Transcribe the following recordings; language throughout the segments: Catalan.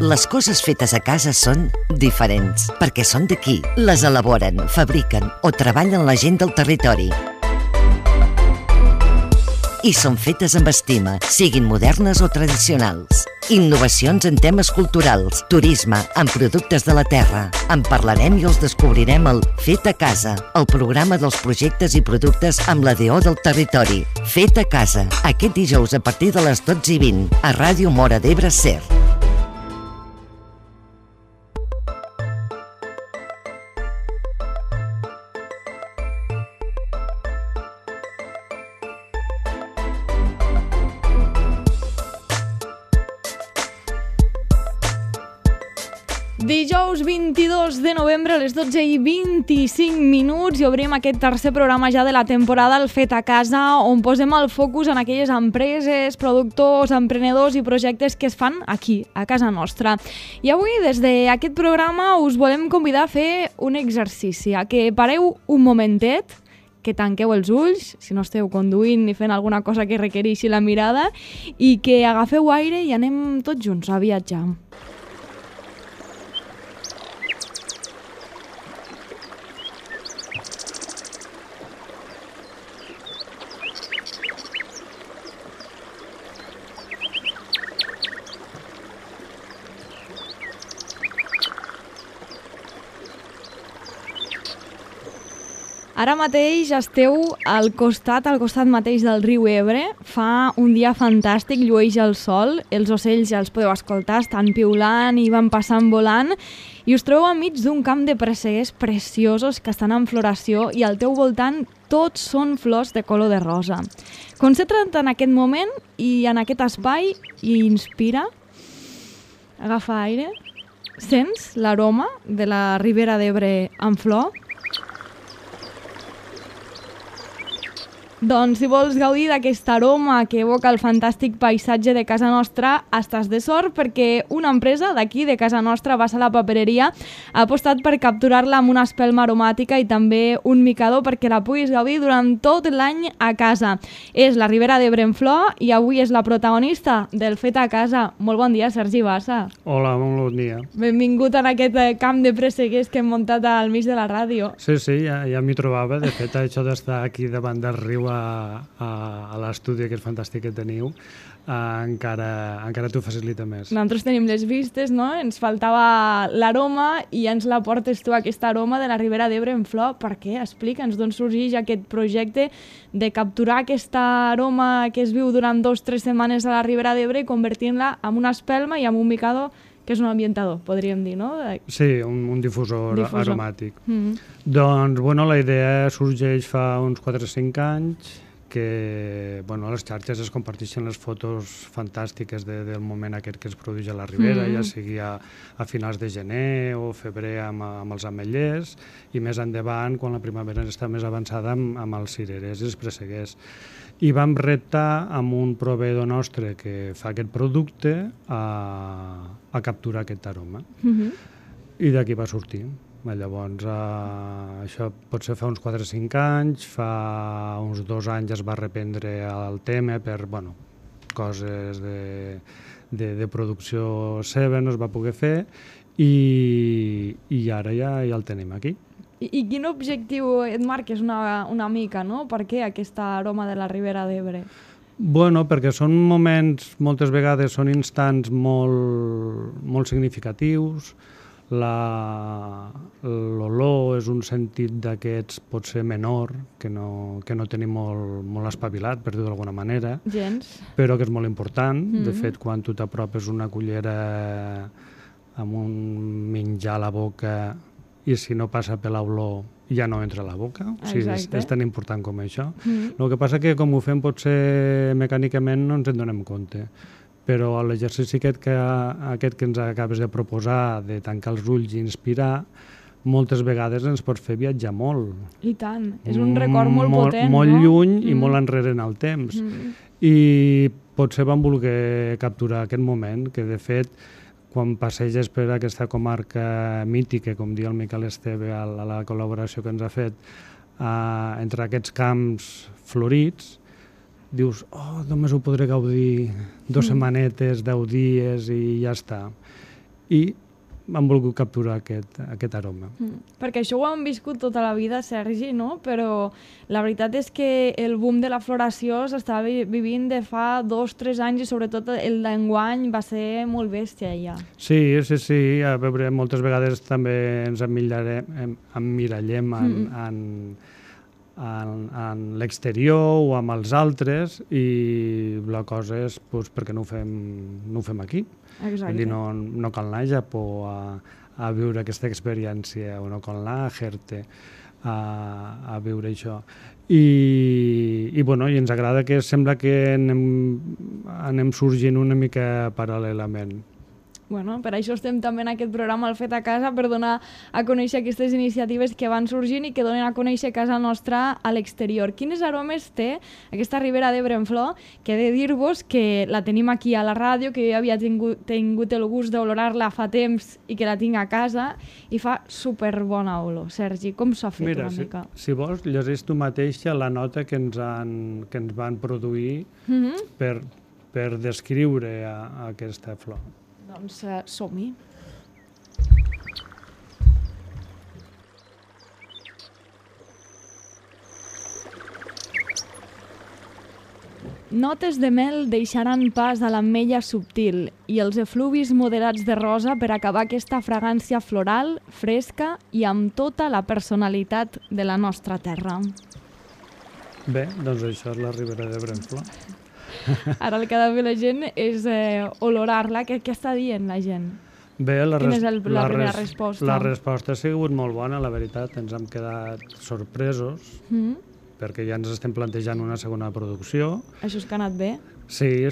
Les coses fetes a casa són diferents, perquè són d'aquí. Les elaboren, fabriquen o treballen la gent del territori. I són fetes amb estima, siguin modernes o tradicionals. Innovacions en temes culturals, turisme, en productes de la terra. En parlarem i els descobrirem al Fet a Casa, el programa dels projectes i productes amb la DO del territori. Fet a Casa, aquest dijous a partir de les 12:20, a Ràdio Móra d'Ebre SER. Dijous 22 de novembre a les 12:25 i obrim aquest tercer programa ja de la temporada, el Fet a Casa, on posem el focus en aquelles empreses, productors, emprenedors i projectes que es fan aquí, a casa nostra. I avui, des d'aquest programa, us volem convidar a fer un exercici, a que pareu un momentet, que tanqueu els ulls, si no esteu conduint ni fent alguna cosa que requereixi la mirada, i que agafeu aire i anem tots junts a viatjar. Ara mateix esteu al costat mateix del riu Ebre. Fa un dia fantàstic, llueix el sol, els ocells ja els podeu escoltar, estan piulant i van passant volant, i us trobeu enmig d'un camp de presseguers preciosos que estan en floració i al teu voltant tots són flors de color de rosa. Concentra't en aquest moment i en aquest espai i inspira. Agafa aire. Sents l'aroma de la Ribera d'Ebre en flor? Doncs si vols gaudir d'aquest aroma que evoca el fantàstic paisatge de casa nostra, estàs de sort perquè una empresa d'aquí, de casa nostra, Bassa la Papereria, ha apostat per capturar-la amb una espelma aromàtica i també un micador perquè la puguis gaudir durant tot l'any a casa. És la Ribera d'Ebre en flor i avui és la protagonista del Fet a Casa. Molt bon dia, Sergi Bassa. Hola, molt bon dia. Benvingut en aquest camp de presseguers que hem muntat al mig de la ràdio. Sí, ja m'hi trobava. De fet, això d'estar aquí davant del riu a l'estudi aquest fantàstic que teniu encara t'ho facilita més. Nosaltres tenim les vistes, no? Ens faltava l'aroma i ens la portes tu, aquesta aroma de la Ribera d'Ebre en flor. Per què? Explica'ns d'on sorgeix aquest projecte de capturar aquesta aroma que es viu durant 2 o 3 setmanes a la Ribera d'Ebre i convertint-la en una espelma i en un micador, que és un ambientador, podríem dir, no? Sí, un difusor aromàtic. Doncs, la idea sorgeix fa uns 4 o 5 anys, que a les xarxes es comparteixen les fotos fantàstiques del moment aquest que es produeix a la Ribera, ja sigui a finals de gener o febrer amb els ametllers, i més endavant, quan la primavera està més avançada, amb els cirerers i els presseguers. I vam reptar amb un proveïdor nostre que fa aquest producte a capturar aquest aroma. I d'aquí va sortir. Llavors, això potser fa uns 4 o 5 anys, fa uns 2 anys es va reprendre el tema per coses de producció seva, no es va poder fer, i ara ja el tenim aquí. I quin objectiu et marques una mica, no? Per què aquesta aroma de la Ribera d'Ebre? Perquè són moments, moltes vegades són instants molt significatius. L'olor és un sentit d'aquests potser menor, que no tenim molt espavilat, per dir-ho d'alguna manera, però que és molt important. De fet, quan tu t'apropes una cullera amb un menjar a la boca i si no passa per l'olor ja no entra a la boca, és tan important com això. El que passa que com ho fem potser mecànicament no ens en donem compte, però l'exercici aquest que ens acabes de proposar, de tancar els ulls i inspirar, moltes vegades ens pots fer viatjar molt. I tant, és un record molt potent, molt lluny i molt enrere en el temps. I potser vam voler capturar aquest moment, que de fet, quan passeges per aquesta comarca mítica, com diu el Miquel Esteve a la col·laboració que ens ha fet, entre aquests camps florits, dius, només ho podré gaudir 2 setmanetes, 10 dies i ja està. i han volgut capturar aquest aroma. Perquè això ho hem viscut tota la vida, Sergi, no? Però la veritat és que el boom de la floració s'està vivint de fa 2-3 anys i sobretot el d'enguany va ser molt bèstia ja. Sí, a veure, moltes vegades també ens emmirallem en l'exterior o amb els altres i la cosa és perquè no ho fem aquí. Exacte. Vull dir, no cal anar a Japó a viure aquesta experiència o no cal anar a Jerte a viure això. I ens agrada que sembla que anem sorgint una mica paral·lelament. Bueno, per això estem també en aquest programa El Fet a Casa, per donar a conèixer aquestes iniciatives que van sorgint i que donen a conèixer casa nostra a l'exterior. Quines aromes té aquesta Ribera d'Ebre en flor? Que he de dir-vos que la tenim aquí a la ràdio, que jo havia tingut el gust d'olorar-la fa temps i que la tinc a casa i fa superbona olor. Sergi, com s'ha fet una mica? Si vols, llegeix tu mateixa la nota que ens van produir per descriure aquesta flor. Doncs som-hi. Notes de mel deixaran pas a l'ametlla subtil i els efluvis moderats de rosa per acabar aquesta fragància floral, fresca i amb tota la personalitat de la nostra terra. Bé, doncs això és la Ribera d'Ebre en flor. Ara el que ha de fer la gent és olorar-la. Què està dient la gent? Bé, quina és la primera resposta? La resposta ha sigut molt bona, la veritat. Ens hem quedat sorpresos perquè ja ens estem plantejant una segona producció. Això és que ha anat bé? Sí,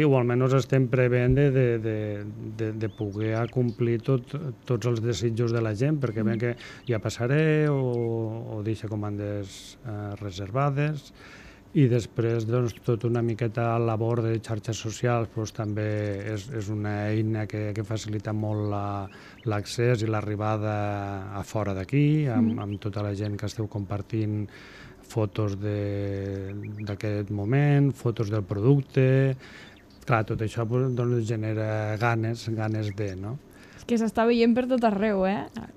o almenys estem prevent de poder complir tots els desitjos de la gent, perquè ben que ja passaré o deixa comandes reservades. I després, doncs, tota una miqueta labor de xarxes socials també és una eina que facilita molt l'accés i l'arribada a fora d'aquí, amb tota la gent que esteu compartint fotos d'aquest moment, fotos del producte. Clar, tot això genera ganes de, no? Que s'està veient per tot arreu,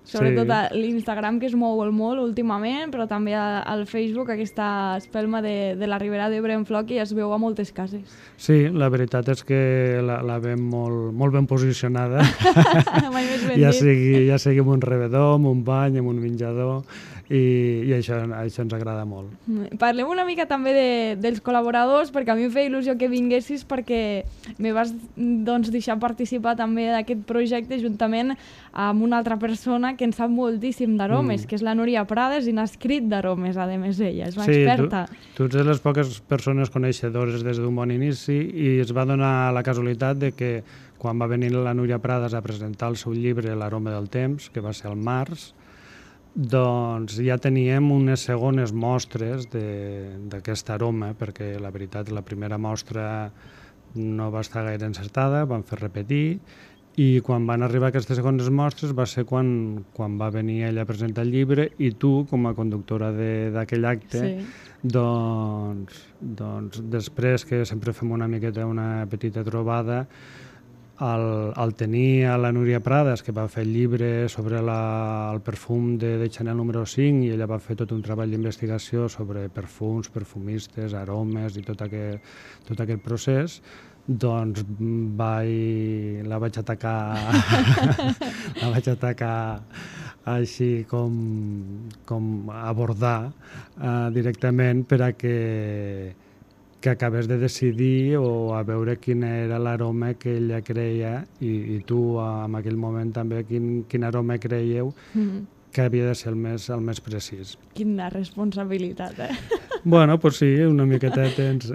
Sobretot a l'Instagram, que es mou molt últimament, però també al Facebook, aquesta espelma de la Ribera d'Ebre en flor, que ja es veu a moltes cases. Sí, la veritat és que la veiem molt ben posicionada. Mai més ben dit. Ja sigui en un rebedor, en un bany, en un menjador, i això ens agrada molt. Parlem una mica també dels col·laboradors, perquè a mi em feia il·lusió que vinguessis, perquè me vas deixar participar també d'aquest projecte juntament amb una altra persona que en sap moltíssim d'aromes, que és la Núria Prades, i n'ha escrit d'aromes, a més ella, és una experta. Tu ets de les poques persones coneixedores des d'un bon inici i es va donar la casualitat de que quan va venir la Núria Prades a presentar el seu llibre L'aroma del temps, que va ser al març, doncs ja teníem unes segones mostres d'aquest aroma, perquè la veritat la primera mostra no va estar gaire encertada, vam fer repetir, i quan van arribar aquestes segones mostres va ser quan va venir ella a presentar el llibre i tu, com a conductora d'aquell acte, doncs després, que sempre fem una miqueta una petita trobada, al tenir a la Núria Prades, que va fer el llibre sobre el perfum de Chanel número 5, i ella va fer tot un treball d'investigació sobre perfums, perfumistes, aromes i tot aquest procés, doncs la vaig atacar així com abordar directament per a que acabés de decidir o a veure quin era l'aroma que ella creia i tu en aquell moment també quin aroma creieu que havia de ser el més precís. Quina responsabilitat, Bueno, doncs sí, una miqueta tens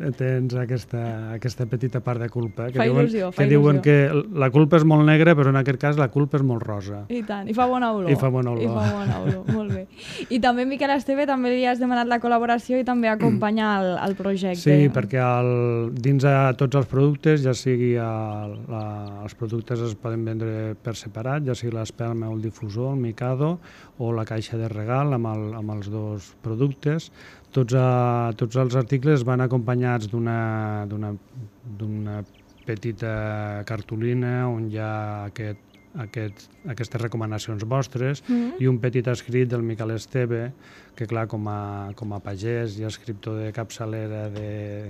aquesta petita part de culpa. Fa il·lusió. Diuen que la culpa és molt negra, però en aquest cas la culpa és molt rosa. I tant, i fa bona olor. I fa bona olor, molt bé. I també, Miquel Esteve, també li has demanat la col·laboració i també acompanyar el projecte. Sí, perquè dins de tots els productes, ja sigui els productes es poden vendre per separat, ja sigui l'espelma o el difusor, el Mikado, o la caixa de regal amb els dos productes. Tots els articles van acompanyats d'una petita cartolina on hi ha aquest aquestes recomanacions vostres i un petit escrit del Miquel Esteve, que clar, com a pagès i escriptor de capçalera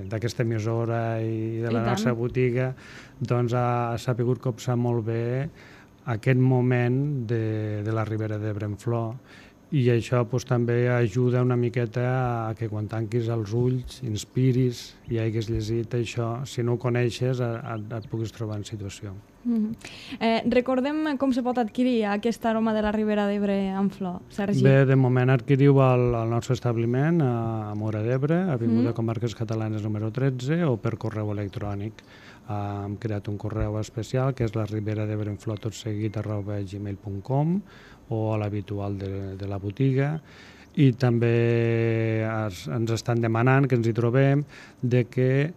d'aquesta emissora i de la nostra botiga, doncs ha sabut copsar molt bé aquest moment de la Ribera d'Ebre en flor, i això també ajuda una miqueta a que quan tanquis els ulls, inspiris i hagis llegit això, si no ho coneixes et puguis trobar en situació. Recordem com se pot adquirir aquest aroma de la Ribera d'Ebre en flor, Sergi? Bé, de moment adquiriu al nostre establiment a Móra d'Ebre, Avinguda Comarques Catalanes número 13, o per correu electrònic. Hem creat un correu especial que és la riberadebreenflor@gmail.com o a l'habitual de la botiga, i també ens estan demanant que ens hi trobem de que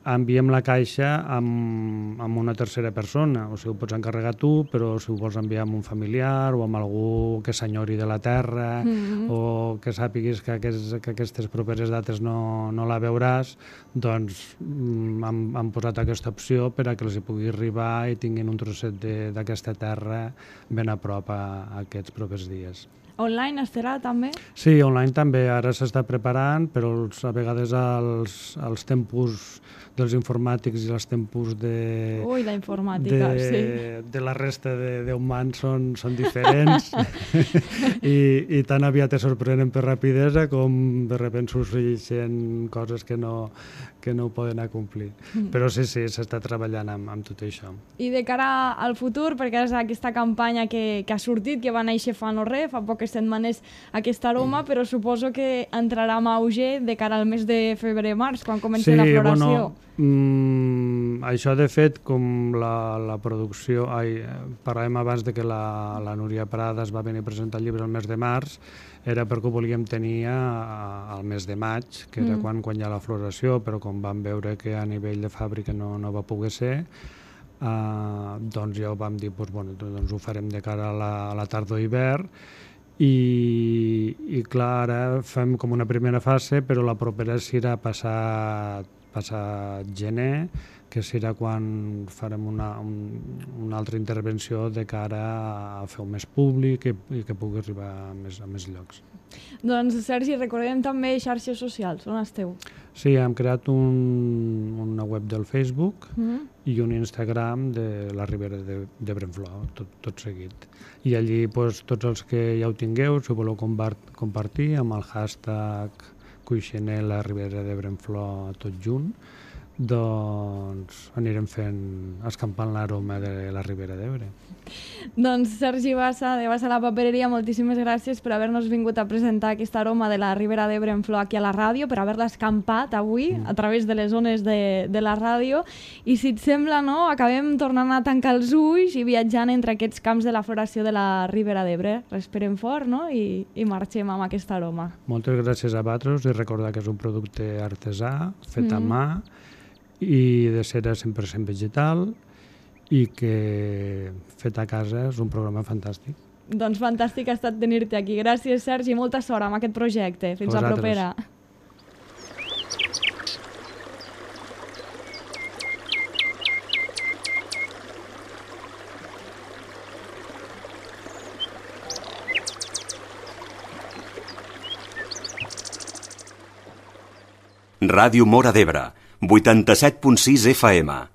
enviem la caixa amb una tercera persona, o sigui, ho pots encarregar tu, però si ho vols enviar amb un familiar o amb algú que s'enyori de la terra o que sàpiguis que aquestes properes dates no la veuràs, doncs hem posat aquesta opció per a que els hi pugui arribar i tinguin un trosset d'aquesta terra ben a prop a aquests propers dies. Online estarà també? Sí, online també. Ara s'està preparant, però a vegades els tempos dels informàtics i els tempos de la informàtica, de la resta d'humans són diferents i tan aviat es sorprenen per rapidesa com de sobte sorgeixen coses que no ho poden acomplir. Però sí, s'està treballant amb tot això. I de cara al futur, perquè és aquesta campanya que ha sortit, que va néixer fa no res, fa poques setmanes aquest aroma, però suposo que entrarà en auge de cara al mes de febrer-març, quan comenci la floració. Això, de fet, com la producció... Parlàvem abans de que la Núria Prada es va venir a presentar el llibre el mes de març, era perquè ho volíem tenir al mes de maig, que era quan hi ha la floració, però com vam veure que a nivell de fàbrica no va poder ser, doncs ja ho vam dir, doncs ho farem de cara a la tardor-hivern, i clar, ara fem com una primera fase, però la propera serà passat gener, que serà quan farem una altra intervenció de cara a fer-ho més públic i que pugui arribar a més llocs. Doncs, Sergi, recordem també xarxes socials. On esteu? Sí, hem creat una web del Facebook i un Instagram de la Ribera d'Ebre en flor, tot seguit. I allí tots els que ja ho tingueu, si ho voleu compartir amb el hashtag Cuixener la Ribera d'Ebre en flor tot junt, doncs anirem escampant l'aroma de la Ribera d'Ebre. Doncs Sergi Bassa, de Bassa la Papereria, moltíssimes gràcies per haver-nos vingut a presentar aquest aroma de la Ribera d'Ebre en flor aquí a la ràdio, per haver-la escampat avui a través de les ones de la ràdio. I si et sembla, acabem tornant a tancar els ulls i viatjant entre aquests camps de la floració de la Ribera d'Ebre. Respirem fort, i marxem amb aquest aroma. Moltes gràcies a vosaltres, i recordar que és un producte artesà, fet a mà, i de cera 100% vegetal, i que fet a casa és un programa fantàstic. Doncs fantàstic ha estat tenir-te aquí. Gràcies, Sergi, molta sort amb aquest projecte. Fins la propera. Ràdio Móra d'Ebre, 87.6 FM.